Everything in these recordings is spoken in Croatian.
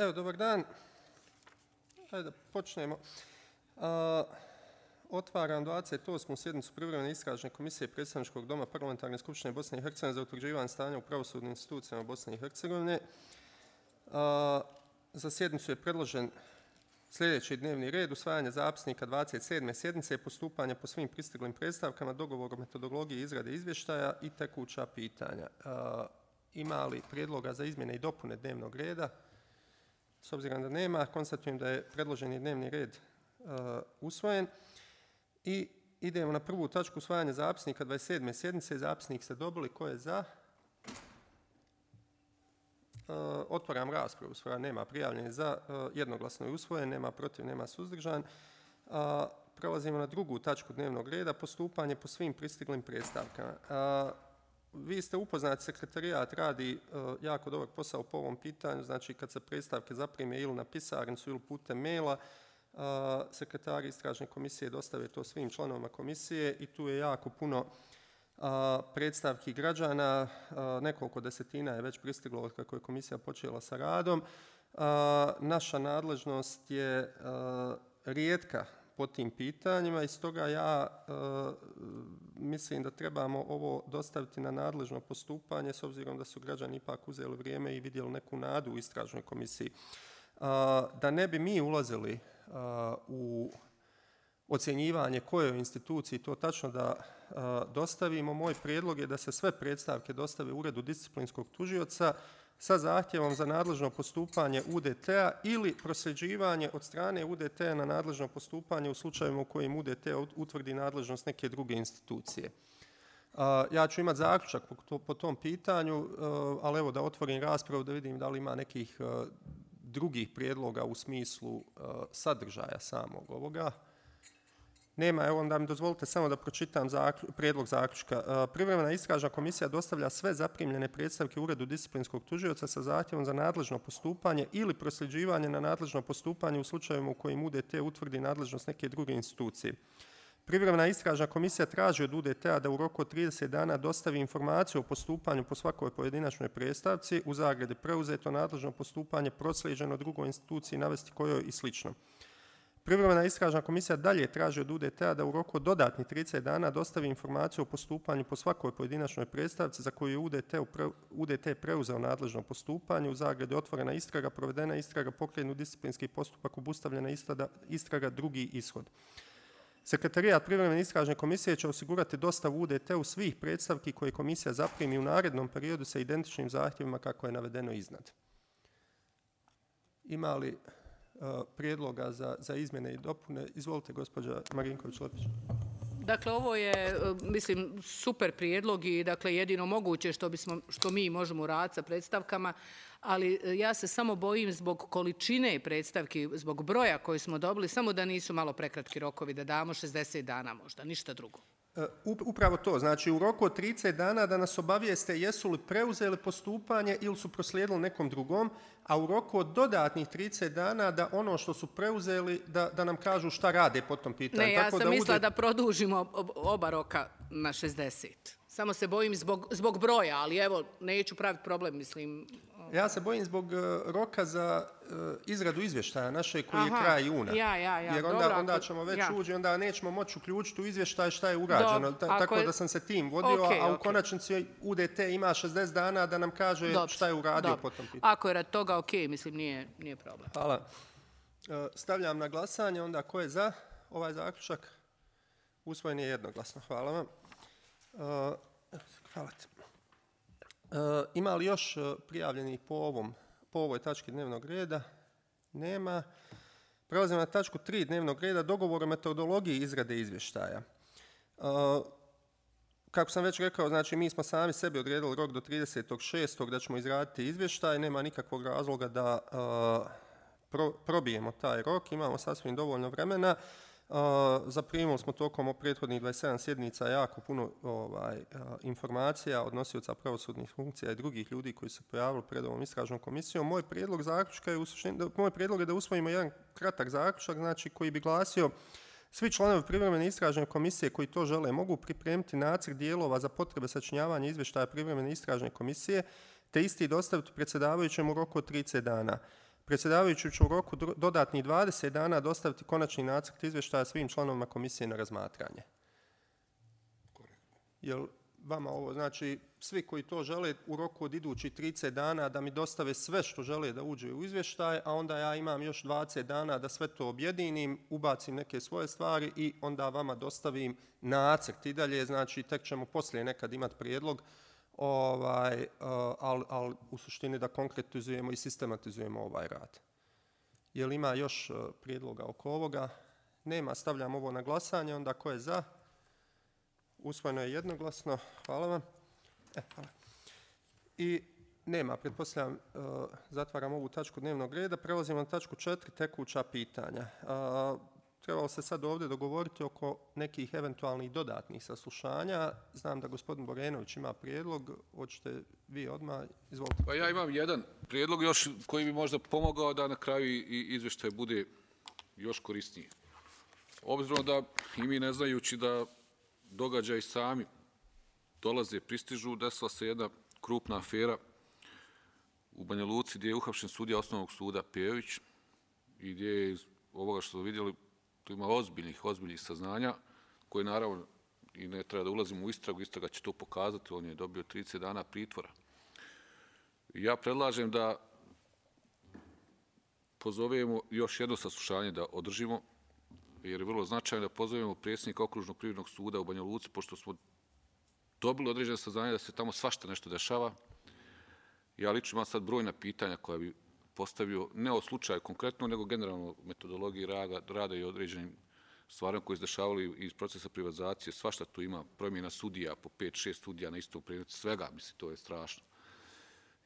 Evo, dobar dan. Hajde da počnemo. Otvaram 28. sjednicu privremene istražne komisije Predstavničkog doma Parlamentarne skupštine Bosne i Hercegovine za utvrđivanje stanja u pravosudnim institucijama Bosne i Hercegovine. Za sjednicu je predložen sljedeći dnevni red: usvajanje zapisnika 27. sjednice, postupanje po svim pristiglim predstavkama, dogovor o metodologiji izrade izvještaja i tekuća pitanja. Ima li prijedloga za izmjene i dopune dnevnog reda? S obzirom da nema, konstatujem da je predloženi dnevni red usvojen. I idemo na prvu tačku: usvajanje zapisnika 27. sjednice. Zapisnik ste dobili. Ko je za? Otvaram raspravu. Nema prijavljenih za. Jednoglasno je usvojen. Nema protiv, nema suzdržan. Prelazimo na drugu tačku dnevnog reda: postupanje po svim pristiglim predstavkama. Vi ste upoznati, sekretarijat radi jako dobar posao po ovom pitanju. Znači, kad se predstavke zaprime ili na pisarnicu ili putem maila, sekretari istražne komisije dostave to svim članovima komisije i tu je jako puno predstavki građana. Nekoliko desetina je već pristiglo od kako je komisija počela sa radom. Naša nadležnost je rijetka po tim pitanjima i stoga ja mislim da trebamo ovo dostaviti na nadležno postupanje, s obzirom da su građani ipak uzeli vrijeme i vidjeli neku nadu u istražnoj komisiji. Da ne bi mi ulazili u ocjenjivanje kojoj instituciji to tačno da dostavimo, moj prijedlog je da se sve predstavke dostave Uredu disciplinskog tužioca sa zahtjevom za nadležno postupanje UDT-a ili prosljeđivanje od strane UDT-a na nadležno postupanje u slučajevima u kojim UDT utvrdi nadležnost neke druge institucije. Ja ću imati zaključak po tom pitanju, ali evo da otvorim raspravu da vidim da li ima nekih drugih prijedloga u smislu sadržaja samog ovoga. Nema. Evo, onda mi dozvolite samo da pročitam prijedlog zaključka. Privremena istražna komisija dostavlja sve zaprimljene predstavke Uredu disciplinskog tužioca sa zahtjevom za nadležno postupanje ili prosljeđivanje na nadležno postupanje u slučajevima u kojim UDT utvrdi nadležnost neke druge institucije. Privremena istražna komisija traži od UDT-a da u roku od 30 dana dostavi informaciju o postupanju po svakoj pojedinačnoj predstavci, u zagradi preuzeto nadležno postupanje, proslijeđeno drugoj instituciji, navesti kojoj i slično. Privremena istražna komisija dalje traži od UDT-a da u roku od dodatnih 30 dana dostavi informaciju o postupanju po svakoj pojedinačnoj predstavci za koju je UDT preuzeo nadležno postupanje, u zagradi otvorena istraga, provedena istraga, pokrenut disciplinski postupak, obustavljena istraga, drugi ishod. Sekretarijat privremene istražne komisije će osigurati dostavu UDT-u svih predstavki koje komisija zaprimi u narednom periodu sa identičnim zahtjevima kako je navedeno iznad. Ima li prijedloga za izmjene i dopune? Izvolite, gospođa Marinković-Lepić. Dakle, ovo je, mislim, super prijedlog i dakle, jedino moguće što mi možemo raditi sa predstavkama, ali ja se samo bojim zbog količine predstavki, zbog broja koji smo dobili, samo da nisu malo prekratki rokovi, da damo 60 dana možda, ništa drugo. Upravo to, znači u roku od 30 dana da nas obavijeste jesu li preuzeli postupanje ili su proslijedili nekom drugom, a u roku od dodatnih 30 dana da ono što su preuzeli da nam kažu šta rade po tom pitanju. Ne, ja sam mislila da produžimo oba roka na 60. Samo se bojim zbog broja, ali evo, neću praviti problem, mislim. Ja se bojim zbog roka za izradu izvještaja naše koji je kraj juna. Jer onda ćemo već ući, onda nećemo moći uključiti u izvještaj šta je urađeno. Tako da sam se tim vodio, a u konačnici UDT ima 60 dana da nam kaže šta je uradio po tom pitanju. Ako je rad toga, ok, mislim, nije problem. Hvala. Stavljam na glasanje, onda ko je za ovaj zaključak? Usvojen je jednoglasno. Hvala vam. Hvala ti. Ima li još prijavljenih po ovoj tački dnevnog reda? Nema. Prelazimo na tačku 3 dnevnog reda: dogovor o metodologiji izrade izvještaja. Kako sam već rekao, znači mi smo sami sebi odredili rok do 30.6. da ćemo izraditi izvještaj. Nema nikakvog razloga da probijemo taj rok. Imamo sasvim dovoljno vremena. Zaprimili smo tokom prethodnih 27 sjednica jako puno informacija od nosioca pravosudnih funkcija i drugih ljudi koji se pojavili pred ovom istražnom komisijom. Moj prijedlog je da usvojimo jedan kratak zaključak, znači koji bi glasio: svi članovi privremene istražne komisije koji to žele mogu pripremiti nacrt dijelova za potrebe sačinjavanja izvještaja privremene istražne komisije te isti dostaviti predsjedavajućem u roku od 30 dana. Predsjedavajući će u roku dodatnih 20 dana dostaviti konačni nacrt izvještaja svim članovima komisije na razmatranje. Jel vama ovo znači svi koji to žele u roku od idućih 30 dana da mi dostave sve što žele da uđe u izvještaj, a onda ja imam još 20 dana da sve to objedinim, ubacim neke svoje stvari i onda vama dostavim nacrt i dalje, znači tek ćemo poslije nekad imati prijedlog, ali u suštini da konkretizujemo i sistematizujemo ovaj rad. Jel ima još prijedloga oko ovoga? Nema, stavljam ovo na glasanje, onda ko je za? Usvojeno je jednoglasno, hvala vam. Hvala. I nema, pretpostavljam, zatvaram ovu tačku dnevnog reda. Prelazimo na tačku 4, tekuća pitanja. Trebalo se sad ovdje dogovoriti oko nekih eventualnih dodatnih saslušanja. Znam da gospodin Borenović ima prijedlog, hoćete vi odmah, izvolite. Pa ja imam jedan prijedlog još koji bi možda pomogao da na kraju i izvještaj bude još korisniji. Obzirom da i mi ne znajući da događaji sami dolaze, pristižu, desila se jedna krupna afera u Banja Luci gdje je uhapšen sudija Osnovnog suda Pejović i gdje je iz ovoga što smo vidjeli tu ima ozbiljnih saznanja koje naravno i ne treba da ulazimo u istragu, istraga će to pokazati, on je dobio 30 dana pritvora. Ja predlažem da pozovemo još jedno saslušanje da održimo, jer je vrlo značajno da pozovemo predsjednika Okružnog privrednog suda u Banja Luci, pošto smo dobili određene saznanja da se tamo svašta nešto dešava. Ja lično imam sad brojna pitanja koja bi postavio, ne o slučaju konkretno, nego generalno metodologiji rada i određenim stvarima koje se dešavali iz procesa privatizacije. Svašta tu ima, promjena sudija, po 5-6 sudija na istom predmetu, svega, mislim, to je strašno.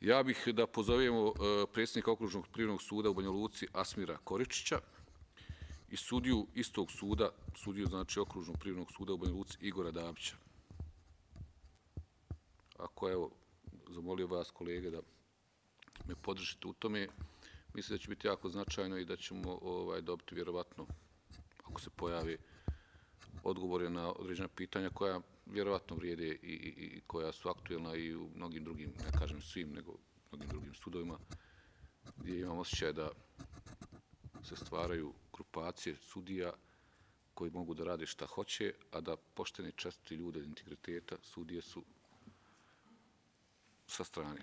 Ja bih da pozovemo predsjednika Okružnog privrednog suda u Banja Luci Asmira Koričića i sudiju istog suda, sudiju znači Okružnog privrednog suda u Banja Luci Igora Dabića. Ako evo, zamolio vas kolege da me podržite u tome, mislim da će biti jako značajno i da ćemo dobiti vjerovatno, ako se pojave odgovore na određena pitanja koja vjerovatno vrijede i koja su aktuelna i u mnogim drugim, ne kažem svim, nego mnogim drugim sudovima, gdje imam osjećaj da se stvaraju grupacije sudija koji mogu da rade šta hoće, a da pošteni čestiti ljude integriteta sudije su sa strane.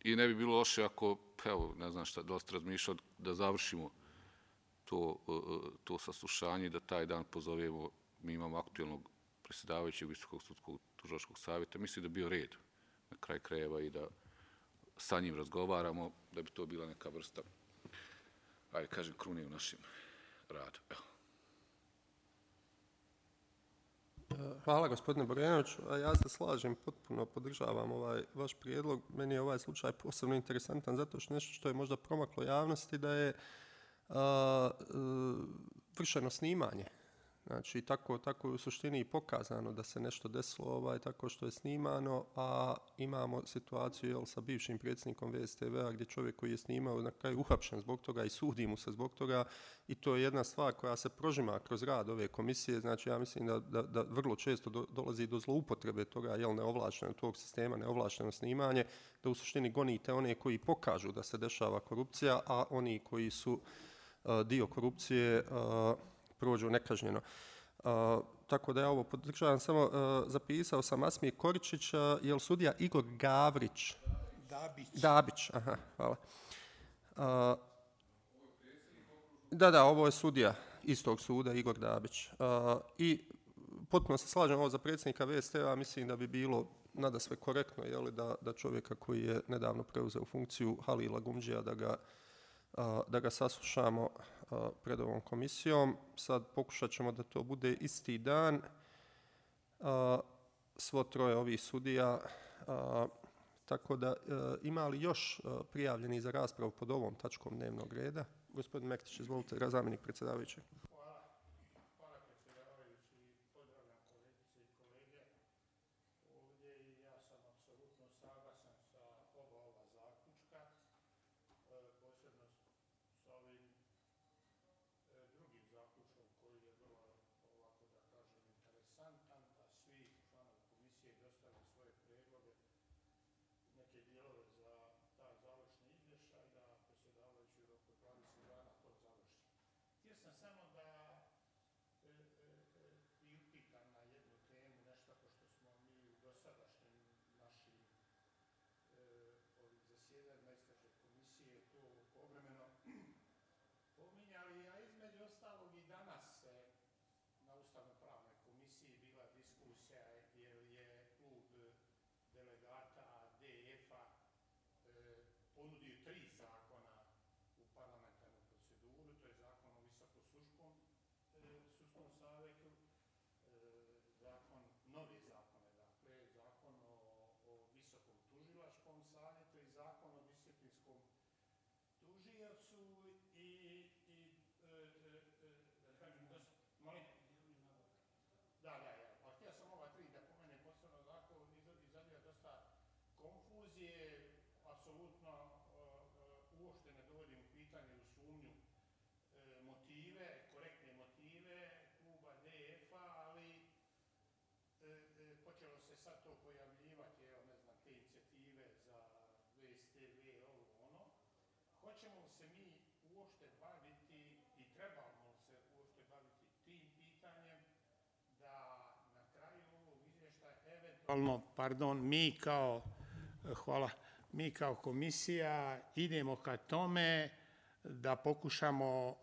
I ne bi bilo loše ako, evo, ne znam šta, dosta razmišljao da završimo to saslušanje i da taj dan pozovemo, mi imamo aktuelnog predsjedavajućeg Visokog sudskog tužilačkog savjeta, mislim da bi bio red na kraj krajeva i da sa njim razgovaramo, da bi to bila neka vrsta, ajde kažem, krune u našem radu. Evo. Hvala gospodine Borenoviću, a ja se slažem, potpuno podržavam ovaj vaš prijedlog. Meni je ovaj slučaj posebno interesantan zato što nešto što je možda promaklo javnosti da je vršeno snimanje. Znači, tako je u suštini i pokazano da se nešto desilo tako što je snimano, a imamo situaciju sa bivšim predsjednikom VSTV-a gdje čovjek koji je snimao na kraju uhapšen zbog toga i sudi mu se zbog toga i to je jedna stvar koja se prožima kroz rad ove komisije. Znači, ja mislim da vrlo često dolazi do zloupotrebe toga, neovlašteno tog sistema, neovlašteno snimanje, da u suštini gonite one koji pokažu da se dešava korupcija, a oni koji su dio korupcije prođu nekažnjeno. Tako da ja ovo podržavam, samo zapisao sam Asmir Koričić, je li sudija Igor Gavrić? Dabić, aha, hvala. Da, ovo je sudija istog suda, Igor Dabić. I potpuno se slažem ovo za predsjednika VST-a, mislim da bi bilo nadasve korektno da čovjeka koji je nedavno preuzeo funkciju Halila Gumđija, da ga saslušamo pred ovom komisijom. Sad pokušat ćemo da to bude isti dan. Svo troje ovih sudija. Tako da ima li još prijavljeni za raspravu pod ovom tačkom dnevnog reda? Gospodin Mektić, izvolite, zamjenik predsjedavajućeg. Hvala predsjedavajući, pozdravljam kolegice i kolege ovdje i ja sam apsolutno saglasan sa oba ova zaključka, posebno sa ovim drugim zaključkom koji je vrlo, ovako da kažem, interesantan, da svi članovi komisije dostave svoje prijedloge, neke dijelove za taj završni izvještaj, da predsjedavajući u roku sam samo da priupitam na jednu temu, nešto pošto smo mi u dosadašnjim našim ovih zasjedanjima istražne komisije to povremeno pominjali, a između ostalog i danas se na Ustavno-pravnoj komisiji bila diskusija jer je klub delegata DF-a ponudio 3 zakona u parlamentarnu proceduru, to je zakon o visokosudskom savjetu, novi zakone, dakle, zakon o visokom tužilačkom savjetu i zakon o disciplinskom tužiocu pa htio sam ova 3 da pomenem posebno zakon, izaziva dosta konfuzije, apsolutno uopšte ne dovodim u pitanje u sumnju motive, korektne motive kluba DF-a, ali počelo se sad to pojavljivati, evo ne znam, te inicijative za VSTV, ono. Hoćemo se mi uopšte baviti i trebamo se uopšte baviti tim pitanjem da na kraju ovog izvještaja eventualno, mi kao komisija idemo ka tome da pokušamo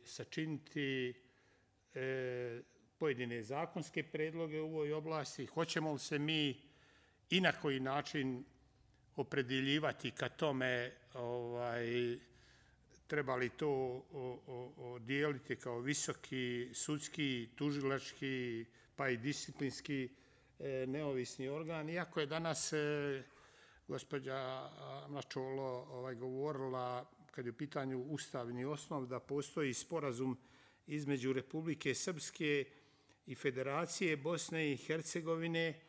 sačiniti pojedine zakonske predloge u ovoj oblasti. Hoćemo li se mi i na koji način opredjeljivati ka tome, treba li to dijeliti kao visoki, sudski, tužilački, pa i disciplinski neovisni organ. Iako je danas gospođa Mlačolo govorila, kad je u pitanju ustavni osnov, da postoji sporazum između Republike Srpske i Federacije Bosne i Hercegovine,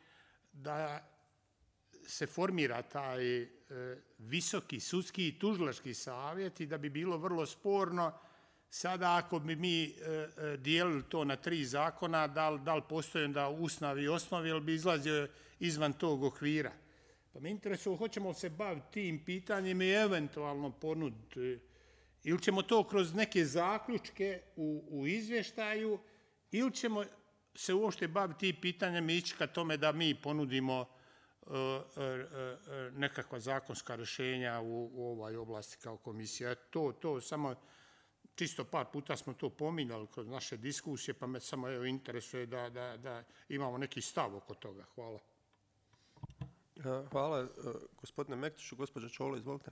da se formira taj visoki sudski i tužilački savjet i da bi bilo vrlo sporno sada ako bi mi dijelili to na 3 zakona, da li postoji onda usnav i osnov, ili bi izlazio izvan tog okvira. Pa me interesuje, hoćemo li se baviti tim pitanjem i eventualno ponuditi, ili ćemo to kroz neke zaključke u izvještaju, ili ćemo se uopšte baviti tim pitanjem i ići ka tome da mi ponudimo nekakva zakonska rješenja u ovoj oblasti kao komisija. To samo, čisto par puta smo to pominjali kroz naše diskusije, pa me samo interesuje da imamo neki stav oko toga. Hvala. Hvala gospodine Mektiću. Gospođa Čolo, izvolite.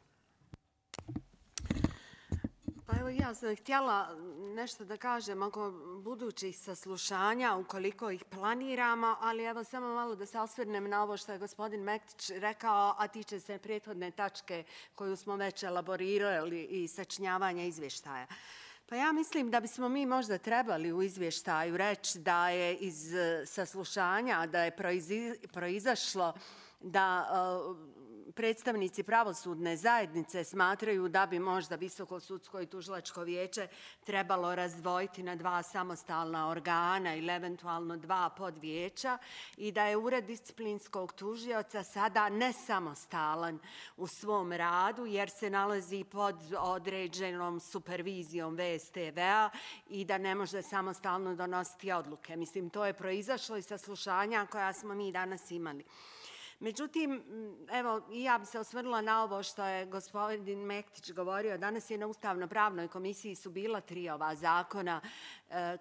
Pa evo ja sam htjela nešto da kažem oko budućih saslušanja, ukoliko ih planiramo, ali evo samo malo da se osvrnem na ovo što je gospodin Mektić rekao, a tiče se prethodne tačke koju smo već elaborirali i sačinjavanja izvještaja. Pa ja mislim da bismo mi možda trebali u izvještaju reći da je iz saslušanja, da je proizašlo da predstavnici pravosudne zajednice smatraju da bi možda Visoko sudsko i tužilačko vijeće trebalo razdvojiti na 2 samostalna organa ili eventualno 2 podvijeća i da je Ured disciplinskog tužioca sada nesamostalan u svom radu jer se nalazi pod određenom supervizijom VSTV-a i da ne može samostalno donositi odluke. Mislim, to je proizašlo iz saslušanja koja smo mi danas imali. Međutim, evo, i ja bi se osvrnula na ovo što je gospodin Mektić govorio. Danas je na Ustavno-pravnoj komisiji su bila 3 ova zakona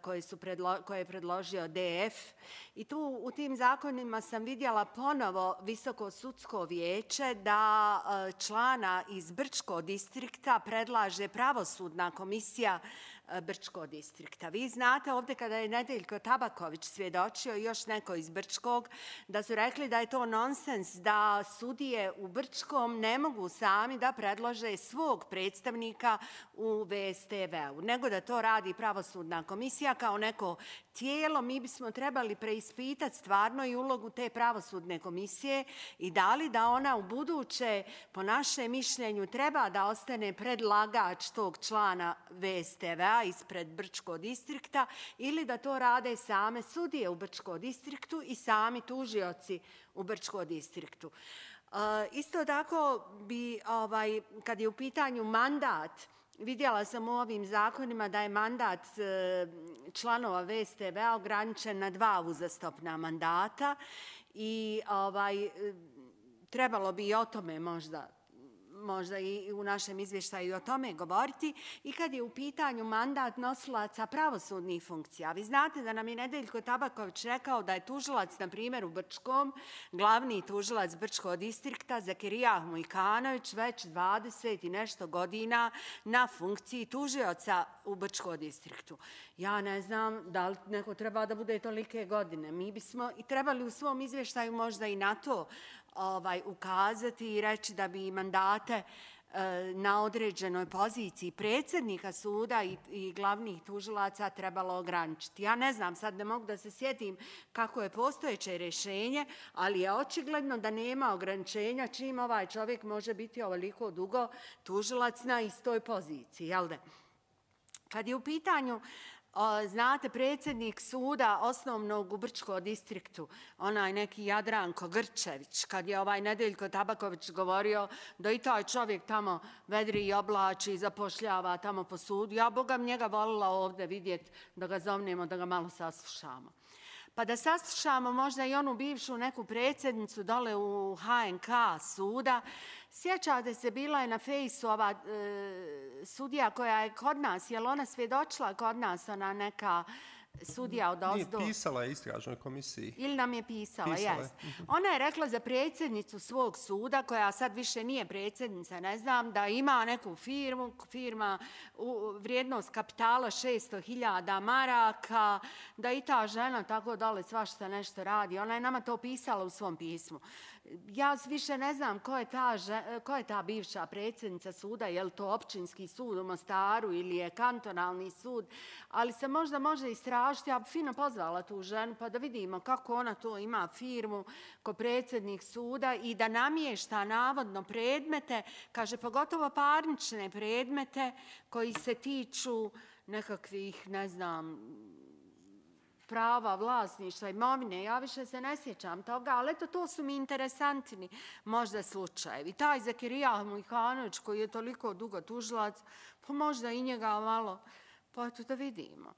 koje je predložio DF i tu u tim zakonima sam vidjela ponovo Visoko sudsko vijeće da člana iz Brčkog distrikta predlaže pravosudna komisija Brčkog distrikta. Vi znate ovdje kada je Nedeljko Tabaković svjedočio i još neko iz Brčkog da su rekli da je to nonsens, da sudije u Brčkom ne mogu sami da predlože svog predstavnika u VSTV-u, nego da to radi pravosudna komisija kao neko tijelo. Mi bismo trebali preispitati stvarno i ulogu te pravosudne komisije i da li da ona u buduće, po našem mišljenju, treba da ostane predlagač tog člana VSTV-a ispred Brčkog distrikta ili da to rade same sudije u Brčkom distriktu i sami tužioci u Brčkom distriktu. Isto tako bi, kad je u pitanju mandat vidjela sam u ovim zakonima da je mandat članova VSTV-a ograničen na 2 uzastopna mandata i trebalo bi i o tome možda i u našem izvještaju o tome govoriti. I kad je u pitanju mandat nosilaca pravosudnih funkcija, vi znate da nam je Nedeljko Tabaković rekao da je tužilac, na primjer u Brčkom, glavni tužilac Brčkog distrikta, Zakirija Mujkanović, već 20 i nešto godina na funkciji tužioca u Brčkom distriktu. Ja ne znam da li neko treba da bude tolike godine. Mi bismo i trebali u svom izvještaju možda i na to ukazati i reći da bi mandate na određenoj poziciji predsjednika suda i glavnih tužilaca trebalo ograničiti. Ja ne znam, sad ne mogu da se sjetim kako je postojeće rješenje, ali je očigledno da nema ograničenja čim ovaj čovjek može biti ovoliko dugo tužilac na istoj poziciji, jel da? Kad je u pitanju, znate, predsjednik suda osnovnog u Brčkom distriktu, onaj neki Jadranko Grčević, kad je Nedeljko Tabaković govorio da i taj čovjek tamo vedri i oblači i zapošljava tamo po sudu, ja Boga njega volila ovdje vidjeti, da ga zovnemo, da ga malo saslušamo. Pa da saslušamo možda i onu bivšu neku predsjednicu dole u HNK suda. Sjećate se, bila je na fejsu ova sudija koja je kod nas, je li ona svjedočila kod nas, ona neka sudija od ozdo? Nije, pisala je istražnoj komisiji. Ili nam je pisala, jest. Ona je rekla za predsjednicu svog suda, koja sad više nije predsjednica, ne znam, da ima neku firma vrijednost kapitala 600.000 maraka, da i ta žena tako dole svašta nešto radi. Ona je nama to pisala u svom pismu. Ja više ne znam ko je ta bivša predsjednica suda, je li to općinski sud u Mostaru ili je kantonalni sud, ali se možda može istražiti. Ja bi fino pozvala tu ženu pa da vidimo kako ona to ima firmu ko predsjednik suda i da namješta navodno predmete, kaže pogotovo parnične predmete koji se tiču nekakvih, ne znam, prava, vlasništva, imovine. Ja više se ne sjećam toga, ali eto, to su mi interesantni možda slučajevi. Taj Zakirija Mujkanović koji je toliko dugo tužilac, pa možda i njega malo, pa eto da vidimo.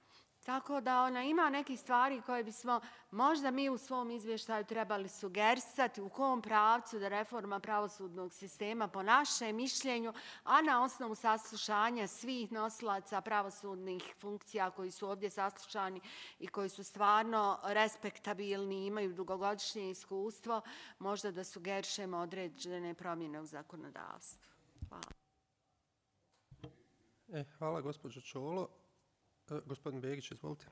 Tako da ima nekih stvari koje bismo možda mi u svom izvještaju trebali sugerisati u kom pravcu da reforma pravosudnog sistema po našem mišljenju, a na osnovu saslušanja svih nosilaca pravosudnih funkcija koji su ovdje saslušani i koji su stvarno respektabilni, imaju dugogodišnje iskustvo, možda da sugerišemo određene promjene u zakonodavstvu. Hvala. Hvala, gospođo Čolo. Gospodin Begić, izvolite.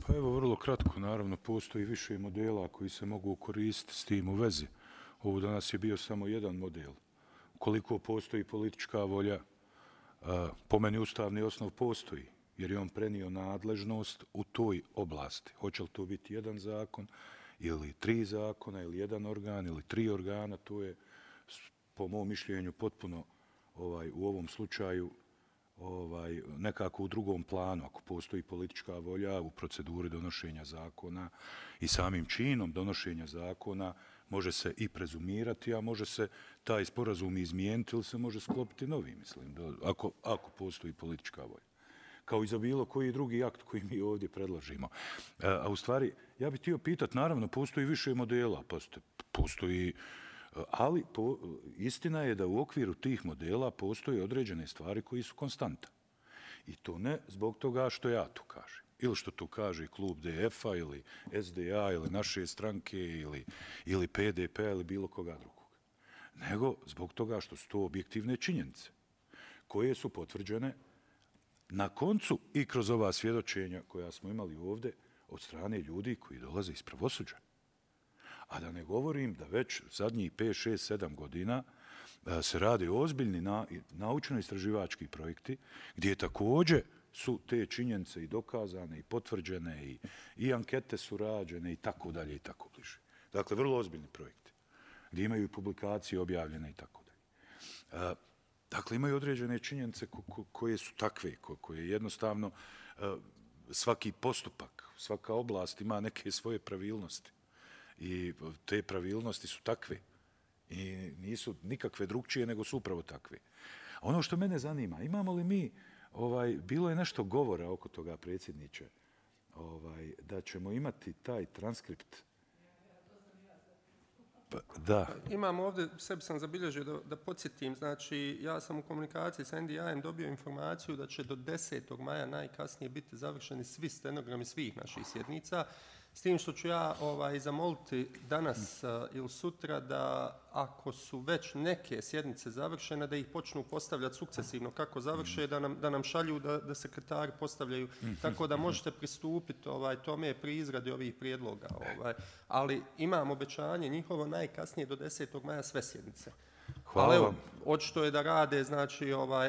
Pa evo, vrlo kratko, naravno, postoji više modela koji se mogu koristiti s tim u vezi. Ovo danas je bio samo jedan model. Koliko postoji politička volja, po meni ustavni osnov postoji, jer je on prenio nadležnost u toj oblasti. Hoće li to biti jedan zakon, ili 3 zakona, ili jedan organ, ili 3 organa, to je, po mom mišljenju, potpuno u ovom slučaju nekako u drugom planu. Ako postoji politička volja u proceduri donošenja zakona i samim činom donošenja zakona može se i prezumirati, a može se taj sporazum izmijeniti ili se može sklopiti novi, mislim, ako postoji politička volja. Kao i za bilo koji drugi akt koji mi ovdje predlažimo. A u stvari, ja bih htio pitati, naravno, postoji više modela, postoji. Ali istina je da u okviru tih modela postoje određene stvari koji su konstanta. I to ne zbog toga što ja to kažem. Ili što to kaže klub DF-a ili SDA ili naše stranke ili PDP-a ili bilo koga drugog. Nego zbog toga što su to objektivne činjenice koje su potvrđene na koncu i kroz ova svjedočenja koja smo imali ovdje od strane ljudi koji dolaze iz pravosuđa. A da ne govorim da već zadnjih 5, 6, 7 godina se rade ozbiljni naučno-istraživački projekti gdje također su te činjenice i dokazane i potvrđene i ankete su rađene i tako dalje i tako bliže. Dakle, vrlo ozbiljni projekti gdje imaju publikacije objavljene i tako dalje. Dakle, imaju određene činjenice koje su takve, koje jednostavno svaki postupak, svaka oblast ima neke svoje pravilnosti. I te pravilnosti su takve i nisu nikakve drugčije nego su upravo takve. Ono što mene zanima, imamo li mi, bilo je nešto govora oko toga, predsjedniče, da ćemo imati taj transkript. Da. Imam ovdje, sebi sam zabilježio da podsjetim, znači ja sam u komunikaciji sa NDI-em dobio informaciju da će do 10. maja najkasnije biti završeni svi stenogrami svih naših sjednica, s tim što ću ja zamoliti danas ili sutra da ako su već neke sjednice završene, da ih počnu postavljati sukcesivno kako završe, da nam šalju da sekretari postavljaju, tako da možete pristupiti tome pri izradi ovih prijedloga. Ali imam obećanje njihovo najkasnije do 10. maja sve sjednice. Hvala vam. Očito je da rade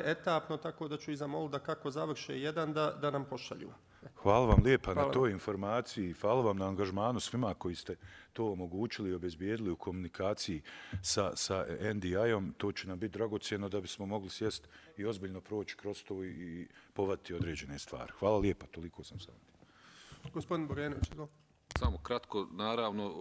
etapno, tako da ću i zamoliti da kako završe jedan da nam pošalju. Hvala vam lijepa na toj informaciji, hvala vam na angažmanu svima koji ste to omogućili i obezbijedili u komunikaciji sa NDI-om. To će nam biti dragocjeno da bismo mogli sjesti i ozbiljno proći kroz to i povati određene stvari. Hvala lijepa, toliko sam sam. Gospodin Borenović, samo kratko, naravno,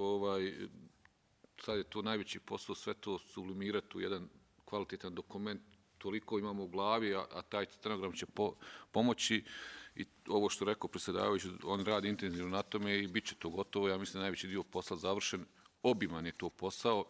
sad je to najveći posao, sve to sublimirati u jedan kvalitetan dokument, toliko imamo u glavi, a taj stenogram će pomoći. I ovo što rekao predsjedavajući, on radi intenzivno na tome i bit će to gotovo. Ja mislim da najveći dio posla završen, obiman je to posao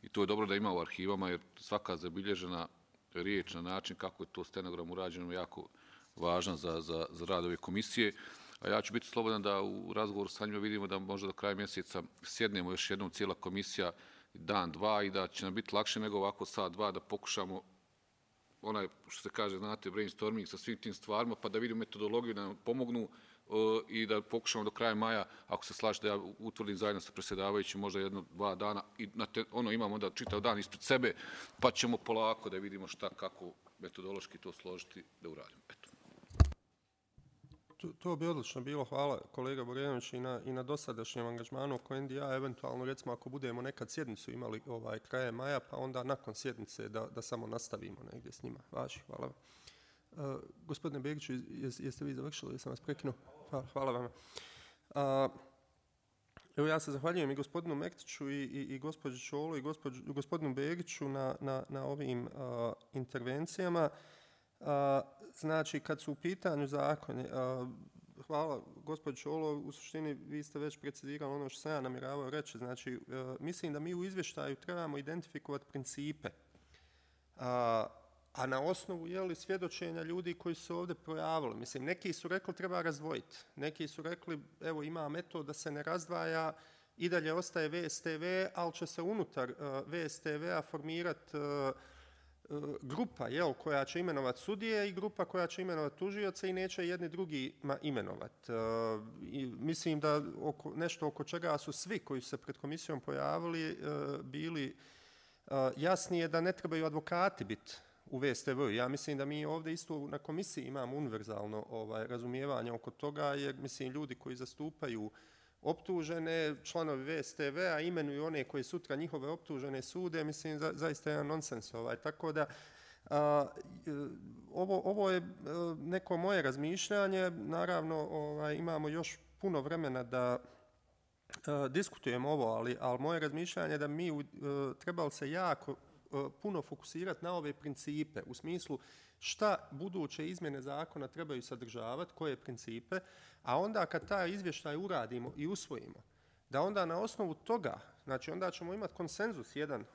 i to je dobro da ima u arhivama jer svaka zabilježena riječ na način kako je to stenogram urađeno jako važan za rad ove komisije. A ja ću biti slobodan da u razgovoru sa njima vidimo da možda do kraja mjeseca sjednemo još jednom cijela komisija dan, dva i da će nam biti lakše nego ovako sat, dva da pokušamo onaj, što se kaže, znate, brainstorming sa svim tim stvarima, pa da vidimo metodologiju, da nam pomognu i da pokušamo do kraja maja, ako se slaže da ja utvrdim zajedno sa predsjedavajućim možda 1-2 dana i imamo onda čitav dan ispred sebe, pa ćemo polako da vidimo šta, kako metodološki to složiti da uradimo. Eto. To bi odlično bilo, hvala kolega Borenović i na dosadašnjem angažmanu oko NDI, eventualno recimo ako budemo nekad sjednicu imali krajem maja, pa onda nakon sjednice da samo nastavimo negdje s njima. Hvala vam. Gospodine Begiću, jeste vi završili, jesam vas prekinuo? Hvala vam. Evo ja se zahvaljujem i gospodinu Mektiću i gospođi Čolo i gospodinu Begiću na ovim intervencijama. Znači, kad su u pitanju zakoni, hvala gospođo Čolo, u suštini vi ste već precizirali ono što sam ja namjeravao reći. Znači, mislim da mi u izvještaju trebamo identifikovati principe, a na osnovu svjedočenja ljudi koji su ovdje projavili. Mislim, neki su rekli treba razdvojiti, neki su rekli evo ima metod da se ne razdvaja, i dalje ostaje VSTV, ali će se unutar VSTV-a formirati grupa koja će imenovati sudije i grupa koja će imenovati tužioce i neće jedni drugima imenovati. Mislim da nešto oko čega su svi koji su se pred komisijom pojavili bili jasnije da ne trebaju advokati biti u VSTV. Ja mislim da mi ovdje isto na komisiji imamo univerzalno razumijevanje oko toga, jer mislim ljudi koji zastupaju optužene, članovi VSTV-a imenuju one koji sutra njihove optužene sude, mislim zaista je nonsens. Tako da ovo je neko moje razmišljanje, naravno imamo još puno vremena da diskutujemo ovo, ali moje razmišljanje je da mi trebali se jako puno fokusirati na ove principe, u smislu šta buduće izmjene zakona trebaju sadržavati, koje principe, a onda kad taj izvještaj uradimo i usvojimo, da onda na osnovu toga, znači onda ćemo imati konsenzus jedan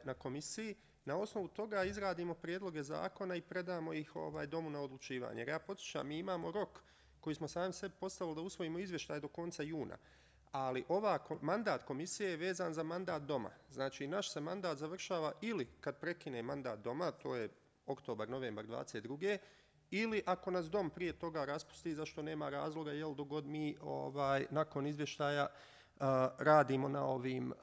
na komisiji, na osnovu toga izradimo prijedloge zakona i predamo ih domu na odlučivanje. Jer ja podsjećam, mi imamo rok koji smo sami sebi postavili da usvojimo izvještaj do konca juna, ali mandat komisije je vezan za mandat doma. Znači naš se mandat završava ili kad prekine mandat doma, to je oktobar, novembar 22. ili ako nas dom prije toga raspusti, zašto nema razloga, jel dok god mi nakon izvještaja radimo na ovim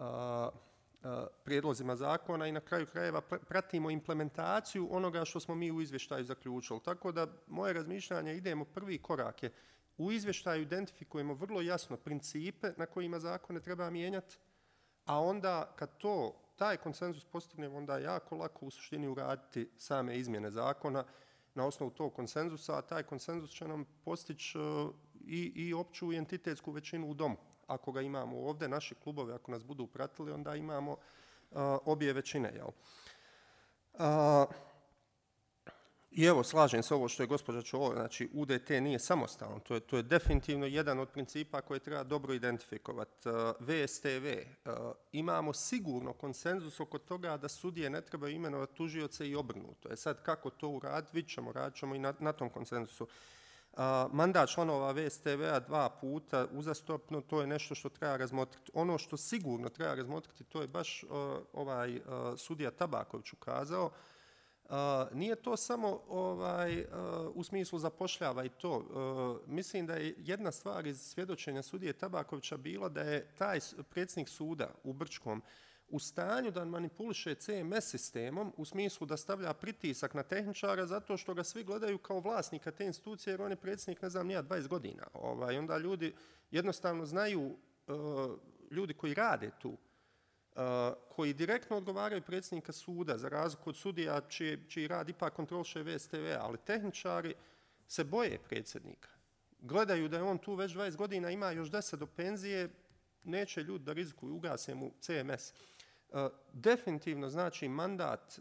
prijedlozima zakona i na kraju krajeva pratimo implementaciju onoga što smo mi u izvještaju zaključili. Tako da moje razmišljanje idemo, prvi korak je u izvještaju identifikujemo vrlo jasno principe na kojima zakone treba mijenjati, a onda kad taj konsenzus postignemo, onda je jako lako u suštini uraditi same izmjene zakona na osnovu tog konsenzusa, a taj konsenzus će nam postići i opću i entitetsku većinu u domu. Ako ga imamo ovdje, naši klubovi, ako nas budu pratili, onda imamo obje većine. I evo, slažem se ovo što je gospođa Čola, znači UDT nije samostalan, to je definitivno jedan od principa koje treba dobro identifikovati. VSTV, imamo sigurno konsenzus oko toga da sudije ne trebaju imenovati tužioce i obrnuto. Sad kako to uraditi, radit ćemo i na tom konsenzusu. Mandat članova VSTV-a 2 puta uzastopno, to je nešto što treba razmotriti. Ono što sigurno treba razmotriti, to je baš sudija Tabaković ukazao. Nije to samo u smislu zapošljava i to. Mislim da je jedna stvar iz svjedočenja sudije Tabakovića bila da je taj predsjednik suda u Brčkom u stanju da manipuliše CMS sistemom u smislu da stavlja pritisak na tehničara zato što ga svi gledaju kao vlasnika te institucije jer on je predsjednik, ne znam, nija 20 godina. Onda ljudi jednostavno znaju, ljudi koji rade tu, koji direktno odgovaraju predsjednika suda, za razliku od sudija čiji rad ipak kontroliše VSTV, ali tehničari se boje predsjednika. Gledaju da je on tu već 20 godina, ima još 10 do penzije, neće ljudi da rizikuju, ugase mu CMS. Definitivno znači mandat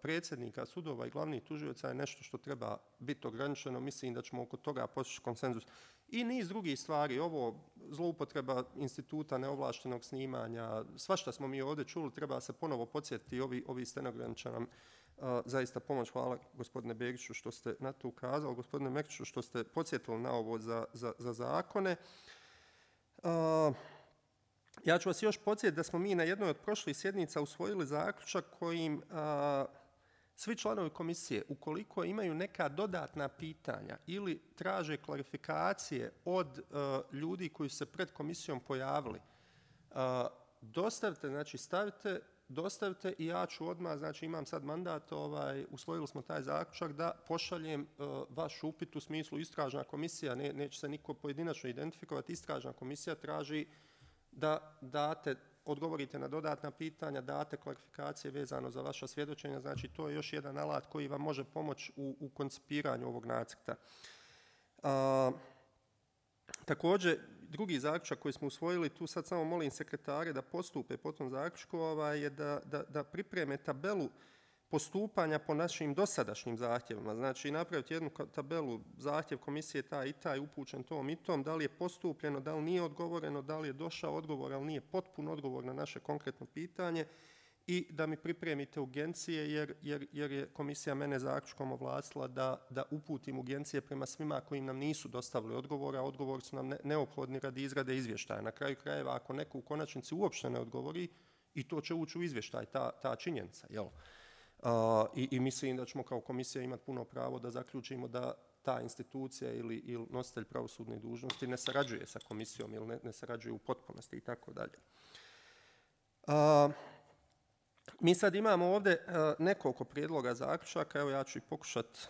predsjednika sudova i glavnih tužioca je nešto što treba biti ograničeno. Mislim da ćemo oko toga postići konsenzus. I niz drugih stvari, ovo zloupotreba instituta neovlaštenog snimanja, svašta smo mi ovdje čuli, treba se ponovo podsjetiti, ovi stenogrami će nam zaista pomoć. Hvala gospodine Begiću što ste na to ukazali, gospodine Mekiću što ste podsjetili na ovo za zakone. Ja ću vas još podsjetiti da smo mi na jednoj od prošlih sjednica usvojili zaključak kojim svi članovi komisije, ukoliko imaju neka dodatna pitanja ili traže klarifikacije od ljudi koji su se pred komisijom pojavili, dostavite, znači stavite, dostavite i ja ću odmah, znači imam sad mandat, usvojili smo taj zaključak da pošaljem vaš upit u smislu istražna komisija, neće se niko pojedinačno identifikovati, istražna komisija traži da date, odgovorite na dodatna pitanja, date klarifikacije vezano za vaša svjedočenja, znači to je još jedan alat koji vam može pomoći u koncipiranju ovog nacrta. Također, drugi zaključak koji smo usvojili, tu sad samo molim sekretare da postupe po tom zaključku, je da pripreme tabelu postupanja po našim dosadašnjim zahtjevima. Znači napraviti jednu tabelu, zahtjev komisije taj i taj upućen tom i tom, da li je postupljeno, da li nije odgovoreno, da li je došao odgovor, ali nije potpun odgovor na naše konkretno pitanje i da mi pripremite urgencije jer je komisija mene zaključkom ovlastila da uputim urgencije prema svima koji nam nisu dostavili odgovore, a odgovori su nam neophodni radi izrade izvještaja. Na kraju krajeva, ako neko u konačnici uopšte ne odgovori, i to će ući u izvještaj, ta činjenica, jel? I mislim da ćemo kao komisija imati puno pravo da zaključimo da ta institucija ili nositelj pravosudne dužnosti ne sarađuje sa komisijom ili ne sarađuje u potpunosti i tako dalje. Mi sad imamo ovdje nekoliko prijedloga zaključaka, evo ja ću ih pokušati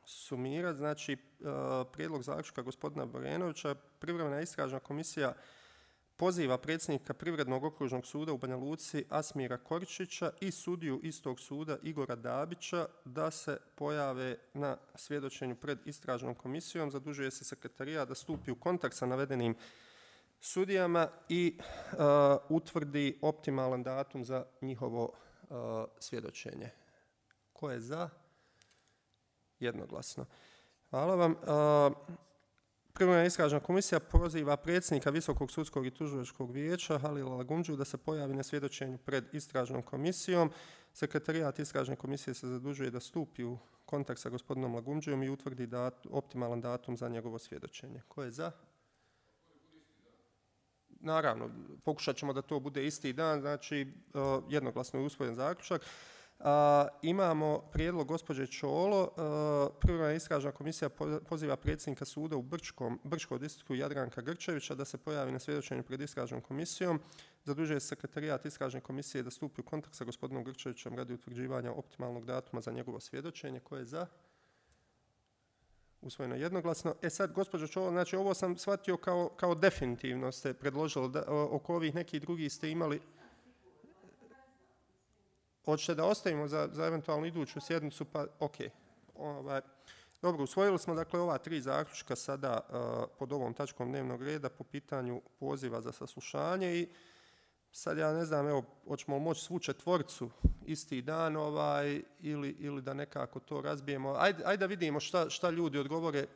sumirati. Znači, prijedlog zaključka gospodina Borenovića, privremena istražna komisija poziva predsjednika Privrednog okružnog suda u Banja Luci Asmira Koričića i sudiju istog suda Igora Dabića da se pojave na svjedočenju pred istražnom komisijom. Zadužuje se sekretarijat da stupi u kontakt sa navedenim sudijama i utvrdi optimalan datum za njihovo svjedočenje. Ko je za? Jednoglasno. Hvala vam. Privremena istražna komisija poziva predsjednika Visokog sudskog i tužilačkog vijeća Halila Lagumdžiju da se pojavi na svjedočenju pred istražnom komisijom. Sekretarijat istražne komisije se zadužuje da stupi u kontakt sa gospodinom Lagumdžijom i utvrdi optimalan datum za njegovo svjedočenje. Ko je za? Naravno, pokušat ćemo da to bude isti dan, znači jednoglasno je usvojen zaključak. Imamo prijedlog gospođe Čolo. Privremena istražna komisija poziva predsjednika suda u Brčkom distriktu Jadranka Grčevića da se pojavi na svjedočenju pred istražnom komisijom. Zadužuje se sekretarijat istražne komisije da stupi u kontakt sa gospodinom Grčevićem radi utvrđivanja optimalnog datuma za njegovo svjedočenje. Ko je za? Usvojeno jednoglasno. Sad, gospođo Čolo, znači ovo sam shvatio kao definitivno ste predložili, oko ovih nekih drugih ste imali. Hoćete da ostavimo za eventualno iduću sjednicu, pa ok. Dobro, usvojili smo dakle ova 3 zaključka sada pod ovom tačkom dnevnog reda po pitanju poziva za saslušanje i Sad ja ne znam, evo, hoćemo moći svu četvorcu isti dan ili da nekako to razbijemo. Ajde da vidimo šta ljudi odgovore,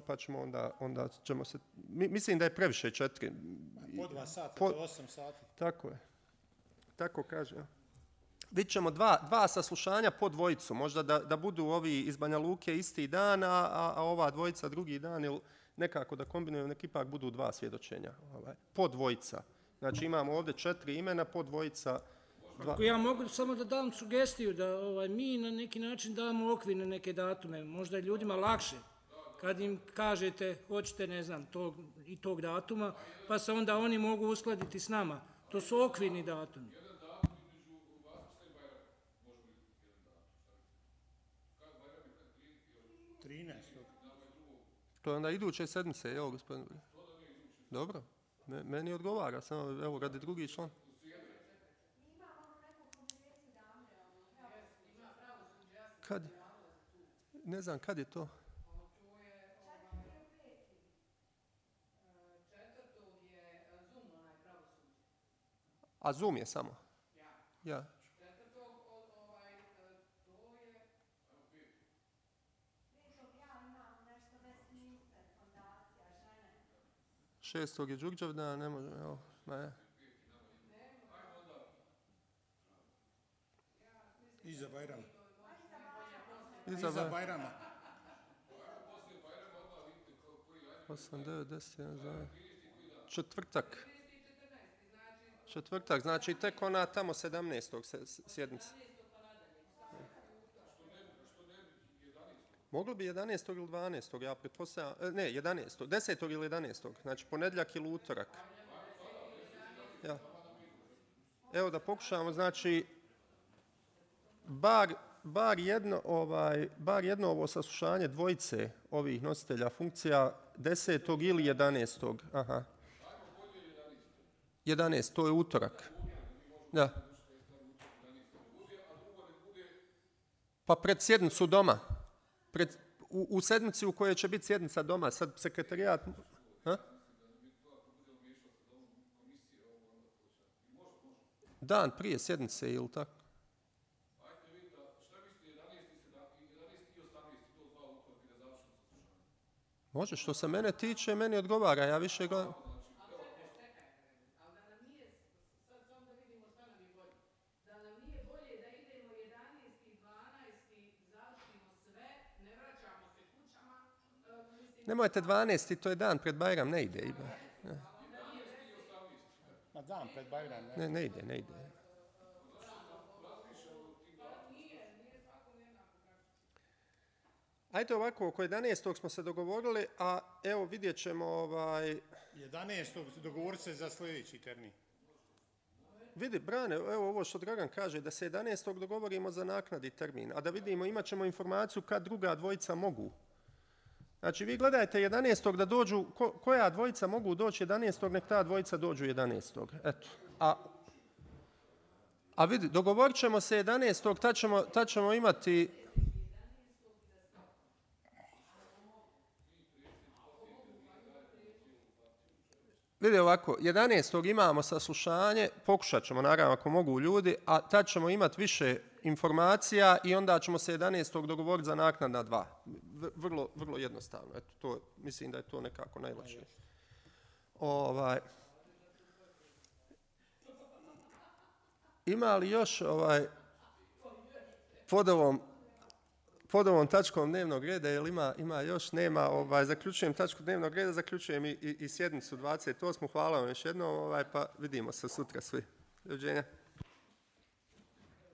pa ćemo onda ćemo se... Mislim da je previše 4. Po 2 sata, to 8 sati. Tako je. Tako kaže. Vidjet ćemo dva saslušanja po dvojicu. Možda da budu ovi iz Banja Luke isti dan, a ova dvojica drugi dan, ili nekako da kombinujemo, nek ipak budu 2 svjedočenja. Po dvojica. Znači imamo ovdje 4 imena, po dvojica. Ako ja mogu samo da dam sugestiju da mi na neki način damo okvir na neke datume, možda je ljudima lakše kad im kažete hoćete, ne znam, tog datuma, pa se onda oni mogu uskladiti s nama. To su okvirni datumi. To je onda iduće sedmice, jel, gospodin? Dobro, meni odgovara, samo evo radi drugi član. Kad? Ne znam, kad je to? A Zoom je samo? Ja. Šestog je Đurđevdan, ne može, evo, ne. Iza Bajrama. Iza Bajrama. 8, 9, 10, 11, četvrtak. Četvrtak, znači tek ona tamo 17. sjednica. Moglo bi 11. ili 12. ja pretpostavljam, ne, 11. 10. ili 11. Znači ponedjeljak ili utorak. Ja. Evo da pokušamo, znači, bar jedno ovo saslušanje dvojice ovih nositelja funkcija 10. ili 11. Aha. 11, to je utorak. Da. Pa pred sjednicu doma. U sedmici u kojoj će biti sjednica doma, sad sekretarijat... Ha? Dan prije sjednice ili tako? Može, što se mene tiče, meni odgovara, ja više gledam... Nemojte 12. to je dan pred Bajram, ne ide. Ma dan pred Bajram, ne? Ne ide. Ajde ovako, oko 11. smo se dogovorili, a evo vidjet ćemo... 11. dogovor se za sljedeći termin. Vidi, Brane, evo ovo što Dragan kaže, da se 11. dogovorimo za naknadi termin, a da vidimo, imat ćemo informaciju kad druga dvojica mogu. Znači, vi gledajte 11. da dođu, koja dvojica mogu doći 11. nek ta dvojica dođu 11. Eto. A vidi, dogovorit ćemo se 11. tad ćemo imati... Vidi ovako, 11. imamo saslušanje, pokušat ćemo naravno ako mogu ljudi, a tad ćemo imati više informacija i onda ćemo se 11. dogovoriti za naknadna 2. Vrlo jednostavno. Eto, mislim da je to nekako najlakše. Ima li još pod ovom tačkom dnevnog reda, jel ima još, nema, zaključujem tačku dnevnog reda, zaključujem i sjednicu 28. Hvala vam još jednom, pa vidimo se sutra svi. Doviđenja.